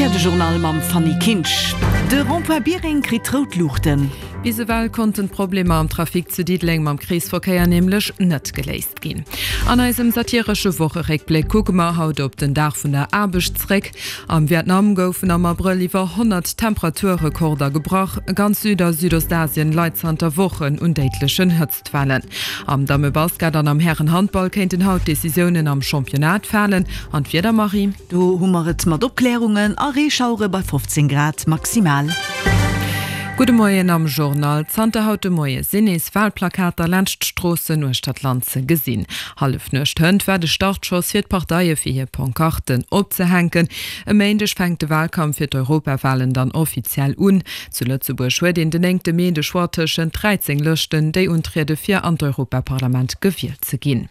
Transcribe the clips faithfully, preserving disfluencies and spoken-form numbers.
Rtl de Journal mam Fanny Kinsch. De Rond-point Biereng kritt rout Luuchten. Bis ewell konnten d'Problemer am Trafic zu Diddeleng mam Kreesverkéier nämlech net geléist ginn. An eisem satiresche Wocheréckbléck kucke mer haut op den Dag vun der Aarbecht zréck. Am Vietnam goufen am Abrëll iwwer honnert Temperaturrekorder gebrach. Ganz Süd a Südostasien leit zanter Wochen un déidlechen Hëtztwellen. Am Dammebasket an am Härenhandball kéinten haut Decisiounen am Championnat falen. An d'Wieder, Marie? Do hu mer et mat Opkläerungen a Reeschauere bei fofzéng Grad maximal. Gudde Moien am Journal. Zanter haut de Moie sinn nees Walplakater laanscht d'Stroossen uechter d'Land ze gesinn. Hallefnuecht hënt war de Startschoss fir d'Parteie fir hir Pancarten opzehänken. E Méindeg fänkt de Walkampf fir d'Europawalen dann offiziell un. Zu Lëtzebuerg huet een den néngte Mee de Choix tëschent dräizéng Lëschten, déi untriede fir an d'Europaparlament gewielt ze ginn.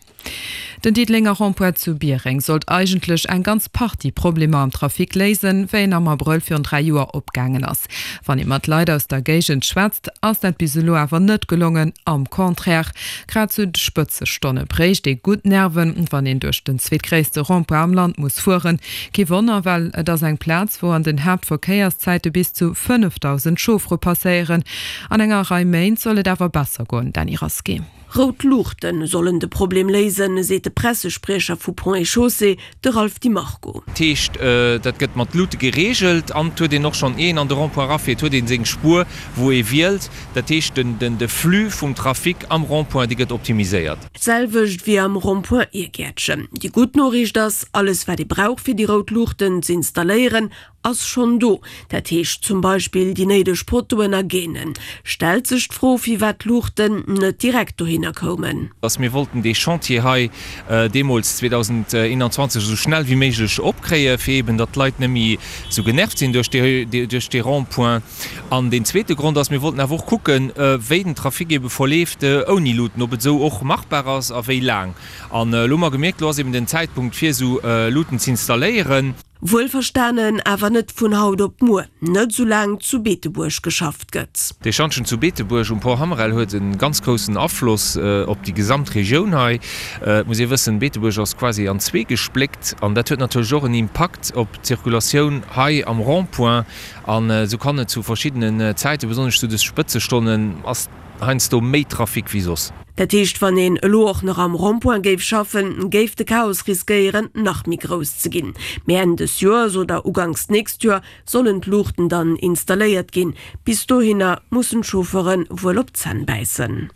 Den Diddelenger Rond-point zu Biereng sollt eigentlech eng ganz Partie Problemer am Trafic léisen, wéi en am Abrëll virun dräi Joer opgaangen ass. Wann ee mat Leit aus der Géigend schwätzt, ass dat bis elo awer net gelongen, am Contraire. Grad zu de Spëtzestonne bréicht ee gutt Nerven, wann een duerch den zweetgréisste Rond-point am Land muss fueren. Kee Wonner, well et ass eng Plaz, wou an den Haaptverkéierszäite bis zu fënnefdausend Chauffere passéieren. An enger Rei Méint soll et awer besser goen, Dany Rasqué. Rout Luuchte sollen de Problem léisen, seet de Pressespriecher vu Ponts et Chaussées, de Ralph Di Marco. Dat heescht, dat gëtt mat Luute gereegelt an et huet een och schonn, ier een an de Rond-point erafiert, huet ee seng Spuer, wou ee wielt. Dat heescht, de Flux vum Trafic am Rond-point, dee gëtt optimiséiert. D'selwecht wéi am Rond-point Irgäertchen. Déi gutt Noriicht ass, alles wat ee brauch fir déi rout Luuchten z'installéieren, ass schonn do, dat heescht zum Beispill déi néideg Pottoen a Gainen. Stellt sech d'Fro, firwat d'Luuchten net direkt dohinner koumen. Dass mir wollten dee Chantier hei deemools zweedausendeenanzwanzeg esou schnell wéi méiglech opkréien, fir eeben datt d'Leit net méi esou genervt sinn duerch dee Rond-point. An deen zweete Grond ass, mir wollten awer och kucken, wéi den Trafic eebe verleeft ouni Luuten, ob et esou och machbar ass a wéi laang. An elo hu mer gemierkt, elo ass eeben den Zäitpunkt fir esou Luuten z'installéieren. Wuelverstanen awer net vun haut op muer, net soulaang zu Beetebuerg geschafft gëtt. Dee Schantjen zu Beetebuerg um Pont Hammerel huet e ganz groussen Afloss op déi gesamt Regioun hei. Et muss ee wëssen, Beetebuerg ass quasi an zwee gespléckt an dat huet natierlech och en Impakt op d'Zirkulatioun hei am Rond-point. An esou kann et zu verschiddenen Zäiten, besonnesch zu de Spëtzestonnen, ass heiansdo méi Trafic wéi soss. Dat heescht, wann een elo och nach am Rond-point géif schaffen, géif de Chaos riskéieren, nach méi grouss ze ginn. Mee Enn des Joers oder uganks d'nächst Joer sollen d'Luuchten dann installéiert ginn. Bis dohinner mussen d'Chauffeure wuel op d'Zänn bäissen.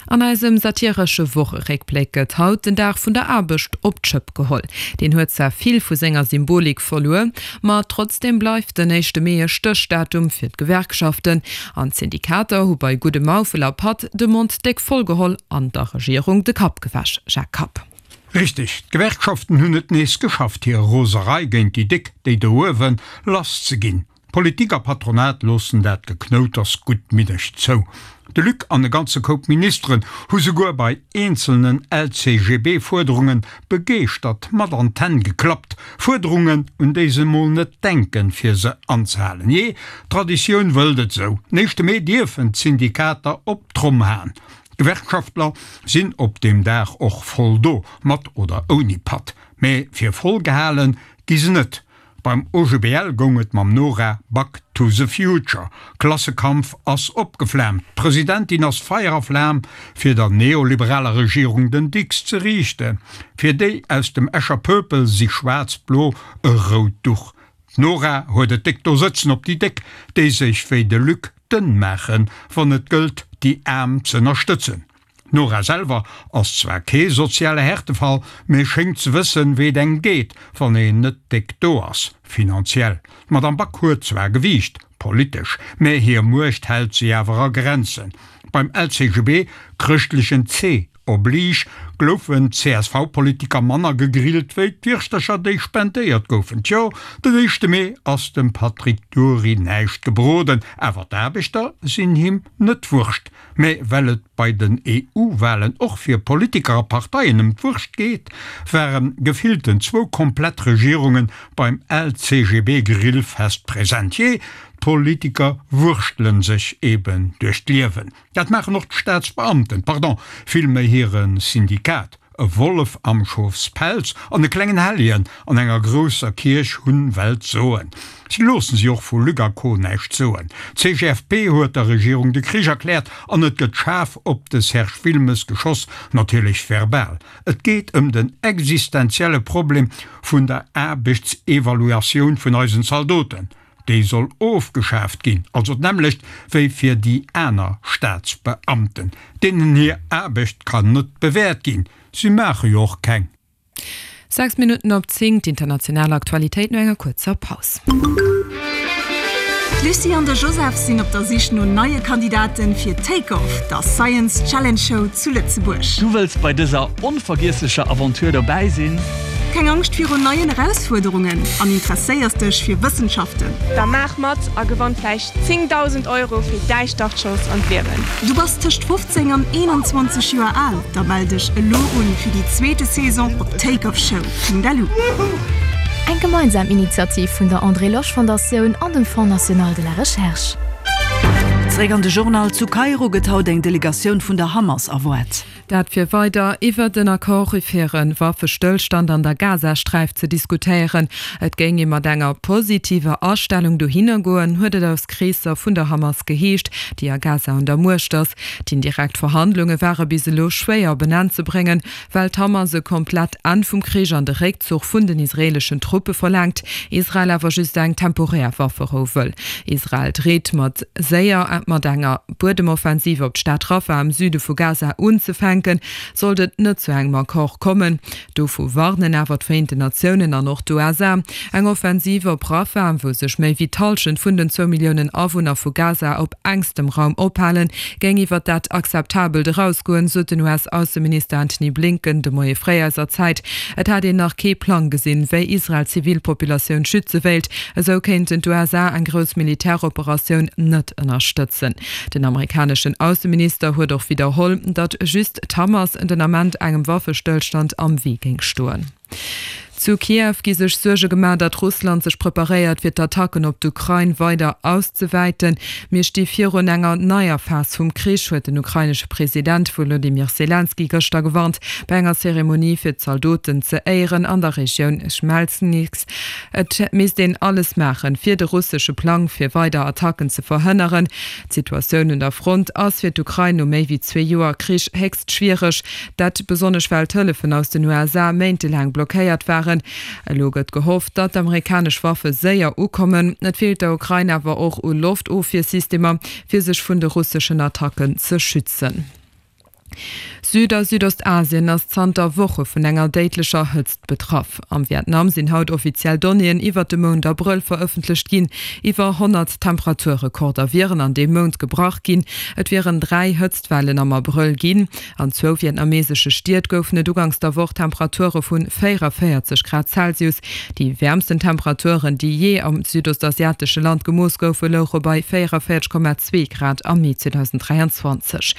An eisem satiresche Wocheréckbléck gëtt haut den Dag vun der Aarbecht op d'Schëpp geholl. Deen huet zwar vill vu senger Symbolik verluer, ma trotzdeem bleift den éischte Mee e Stéchdatum fir d'Gewerkschaften. An d'Syndikater hu bei guddem Maufel a Patt de Mond déck voll geholl an der Regierung de Kapp gewäsch. Jacques Kapp. Richteg, d'Gewerkschaften hunn et nees geschafft, hir Roserei géint déi Déck, déi do uewen, lass ze ginn. Politik a Patronat loossen dat Geknouters guttmiddeg zou. De Luc an e ganze Koup Ministeren hu souguer bei eenzelnen L C G B Fuerderunge begeeschtert mat an d'Hänn geklappt. Fuerderungen, un déi se mol net denken, fir se anzehalen. Jee, d'Traditioun wëllt et sou, den éischte Mee dierfen d'Syndikater op d'Tromm haen. D'Gewerkschaftler sinn op deem Dag och voll do, mat oder ouni Patt. Mee fir voll gehale gi se net. Beim O G B L goung et mam Nora Back to the future. Klassekampf ass opgeflaamt, d'Presidentin ass Feier a Flam fir der neoliberaler Regierung den Dicks ze riichten. Fir déi aus dem Escher Pöpel si Schwaarz-Blo e rout Duch. D'Nora huet et déck do sëtzen op déi Déck, déi sech wéi de Luc dënn maachen, wann et gëllt déi Aarm z'ënnerstëtzen. D'Nora selwer ass zwar kee soziale Härtefall, mee schéngt ze wëssen, wéi et engem geet, wann een net déck do ass, finanziell. D'Madame Back huet zwar Gewiicht, politesch, mee hir Muecht hält si awer a Grenzen. Beim L C G B, chrëschtlechen C oblige, gloufen d'C S V-Politiker manner gegrillt wéi d'Wirschtercher, déi spendéiert goufen. Tjo, den éischte Mee ass dem Patrick Dury näischt gebroden, awer d'Aarbechter sinn him net wurscht. Mä well et bei den E U-Walen och fir Politiker a Parteien ëm d'Wurscht geet, ware gefillten zwou komplett Regierunge beim L C G B-Grillfest present. Jee, d'Politiker wurschtele sech eben duerch d'Liewen. Dat maachen och d'Staatsbeamten, pardon, villméi hire Syndikat. E Wollef am Schofspelz an e klengen Helljen an enger grousser Kierch hunn Welt soen. Si loossen si och vu Luc a Co näischt soen. D'CGFP huet der Regierung de Krich erkläert an et gëtt schaarf op de Serge Wilmes geschoss, natierlech verbal. Et geet ëm den existenzielle Problem vun der Aarbechtsevaluatioun vun eisen Zaldoten. Déi soll ofgeschaaft ginn, also d'nämmlecht wéi fir déi aner Staatsbeamten. Deenen hir Aarbecht kann net bewäert ginn, si maache jo och keng. Sechs Minutten op zéng, D'international Aktualitéit no enger kuerzer Paus. D'Lucie an de Joseph sinn op der Sich no neie Kandidaten fir Take Off, der Science Challenge Show zu Lëtzebuerg. Du wëlls bei dëser onvergiesslecher Aventure dobäi sinn? Keng Angscht virun neien Erausfuerderungen an interesséiers dech fir Wëssenschaften? Da maach mat a gewann vläicht zéngdausend Euro fir däi Startschoss an d'Liewen. Du bass tëscht fofzéng an eenanzwanzeg Joer al? Da mell dech elo un fir déi zweete Saison op takeoffshow punkt lu. Eng gemeinsam Initiativ vun der André Losch Fondatioun an dem Fonds national de la recherche. Zeréck an de Journal, Zu Kairo gëtt haut eng Delegatioun vun der Hamas erwaart. Dat fir weider iwwert en Accord fir e Waffestëllstand an der Gazasträif ze diskutéieren. Et géing ee mat enger positiver Astellung dohinner goen, huet et aus Kreesser vun der Hamas geheescht, déi a Gaza un der Muecht ass. D'indirekt Verhandlunge ware bis elo schwéier op en Enn ze bréngen, well d'Hamas e komplett Enn vum Krich an de Réckzuch vun den israeeleschen Truppe verlaangt, Israel awer just eng temporär Wafferou wëll. Israel dreet mat séier mat enger Buedemoffensiv op d'Stad Rafah am Süde vu Gaza unzefänken, sollt et net zu engem Accord kommen. Dovu warnen awer d'Vereenten Natiounen an och d'USA. Eng Offensiv op Rafah, wou sech méi wéi d'Hallschent vun den zwou Milliounen Awunner vu Gaza op enkstem Raum ophalen, géing iwwer dat Akzeptabelt erausgoen, sot den U S-Ausseminister Antony Blinken de Moie fréi eiser Zäit. Et hätt een nach kee Plang gesinn, wéi Israel d'Zivilpopulatioun schütze wéilt. Esou kéinten d'U S A eng grouss Militäroperatioun net ënnerstëtzen. Den amerikaneschen Ausseminister huet och widderholl, datt just d'Hamas den Ament engem Waffestëllstand am Wee géing stoen. Zu Kiew gi sech Suerge gemaach, datt Russland sech preparéiert, fir d'Attacken op d'Ukrain weider auszewäiten. Mir sti virun enger neier Phas vum Krich, huet den ukrainesche President Wolodymyr Selenskyj gëschter gewarnt, bei enger Zeremonie fir d'Zaldoten ze éieren an der Regioun Chmelnyzkyj. Et misst een alles maachen, fir de russesche Plang fir weider Attacken ze verhënneren. D'Situatioun un der Front ass fir d'Ukrain no méi wéi zwee Joer Krich héchst schwiereg, dat besonnesch well d'Hëllefen aus den U S A méintelaang blockéiert waren. Elo gëtt gehofft, datt d'amerikanesch Waffe séier ukommen. Et feelt der Ukrain awer och u Loftofwiersystemer, fir sech vun de russeschen Attacken ze schützen. Süd a Südostasien ass zanter Woche vun enger déidlecher Hëtzt betraff. Am Vietnam sinn haut offiziell Donnéeën iwwert de Mount Abrëll verëffentlecht ginn. Iwwer honnert Temperaturrekorder wieren an deem Mount gebrach ginn. Et wieren dräi Hëtztwellen am Abrëll ginn. An zwou vietnamesesche Stied goufen et uganks der Woch Temperature vu véierevéierzeg Grad Celsius. Déi wäermsten Temperaturen, déi jee am südostasiatesche Land gemooss goufen, louche bei véierevéierzeg Komma zwee Grad am Mee zweedausend dräianzwanzeg.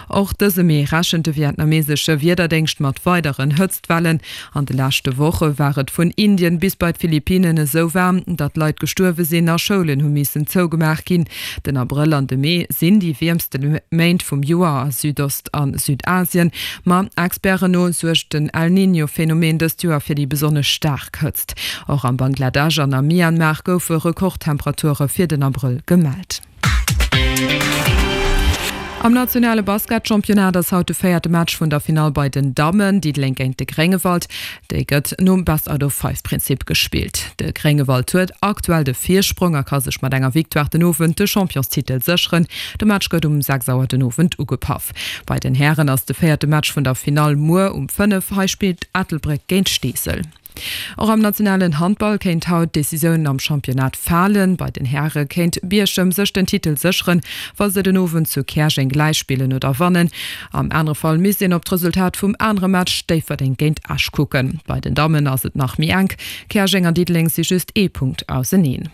Och dëse Mee rechent de vietnamesesche Wiederdéngscht mat weideren Hëtztwellen. An de leschte Woche war et vun Indien bis bei d'Philippinnen esou waarm, datt Leit gestuerwe sinn a Schoulen hu missen zougemaach ginn. Den Abrëll an de Mee sinn déi wiermste Méint vum Joer a Südost a Südasien. Ma Experten no suergt den El Niño-Phenomen dëst Joer fir déi besonnesch staark Hëtzt. Och am Bangladesch an am Myanmar goufe Rekordtemperature fir den Abrëll gemellt. Am nationale Basketchampionnat ass haut de véierte Match vun der Finall bei den Dammen, Diddeleng géint de Gréngewald. Déi gëtt nom Best-out-of-five-Prinzip gespillt. De Gréngewald huet aktuell de Virsprong a ka sech mat enger Victoire den Owend de Championstitel sécheren. De Match gëtt um sechs Auer den Owend ugepaff. Bei den Hären ass de véierte Match vun der Finall muer um fënnef. Hei spillt Ettelbréck géint Steesel. Och am nationalen Handball kéint haut d'Decisioun am Championnat falen. Bei den Häre kéint Bierchem sech den Titel sécheren, wa se den Owend zu Käerjeng gläichspillen oder wannen. Am anere Fall misst een op d'Resultat vum anere Match Déifferdeng géint Esch kucken. Bei den Dammen ass et nach méi enk, Käerjeng an Diddeleng si just ee Punkt auseneen.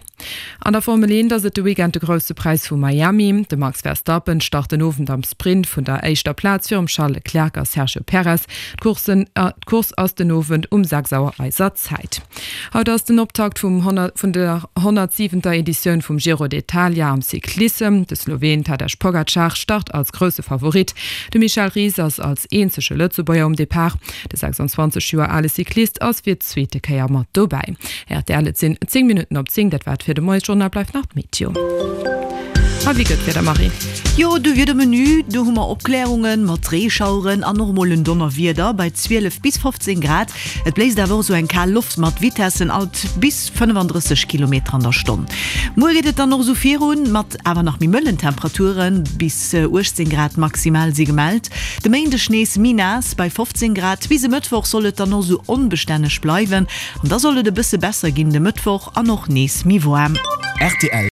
An der Formel eent ass et de Weekend de Grousse Präis vu Miami. De Max Verstappen start den Owend am Sprint vun der éischter Plaz virum Charles Leclerc a Sergio Perez. D'Course ass den Owend um sechs Auer eiser. eiser Zäit. Haut ass den Optakt vum vun der honnertsiwenter Editioun vum Giro d'Italia am Cyclissem. De Sloween Tadej Pogacar start als grousse Favorit. De Michel Ries ass als eenzege Lëtzebuerger um Depart. De sechsundzwanzeg Joer ale Cyclist ass fir d'zweete Kéier mat dobäi. Rtl, Et sinn zéng Minutten op zéng, dat war et fir de Moiesjournal, bleift nach d'Meteo. A wéi gëtt d'Wieder, Marie? Jo, de Wiedermenü, do hu mer Opklärungen mat Reeschaueren an och mol en Donnerwieder bei zwielef bis fofzéng Grad. Et bléist awer och sou eng kal Loft mat Vitessen alt bis fënnefandrësseg Kilometer an der Stonn. Muer geet et dann och sou virun, mat awer nach méi mëllen Temperaturen, bis uechtzéng Grad maximal si gemellt. De Méindeg nees méi naass bei fofzéng Grad. Bis e Mëttwoch soll et dann och sou onbestänneg bleiwen an da soll et e bësse besser ginn de Mëttwoch an och nees méi waarm. Rtl.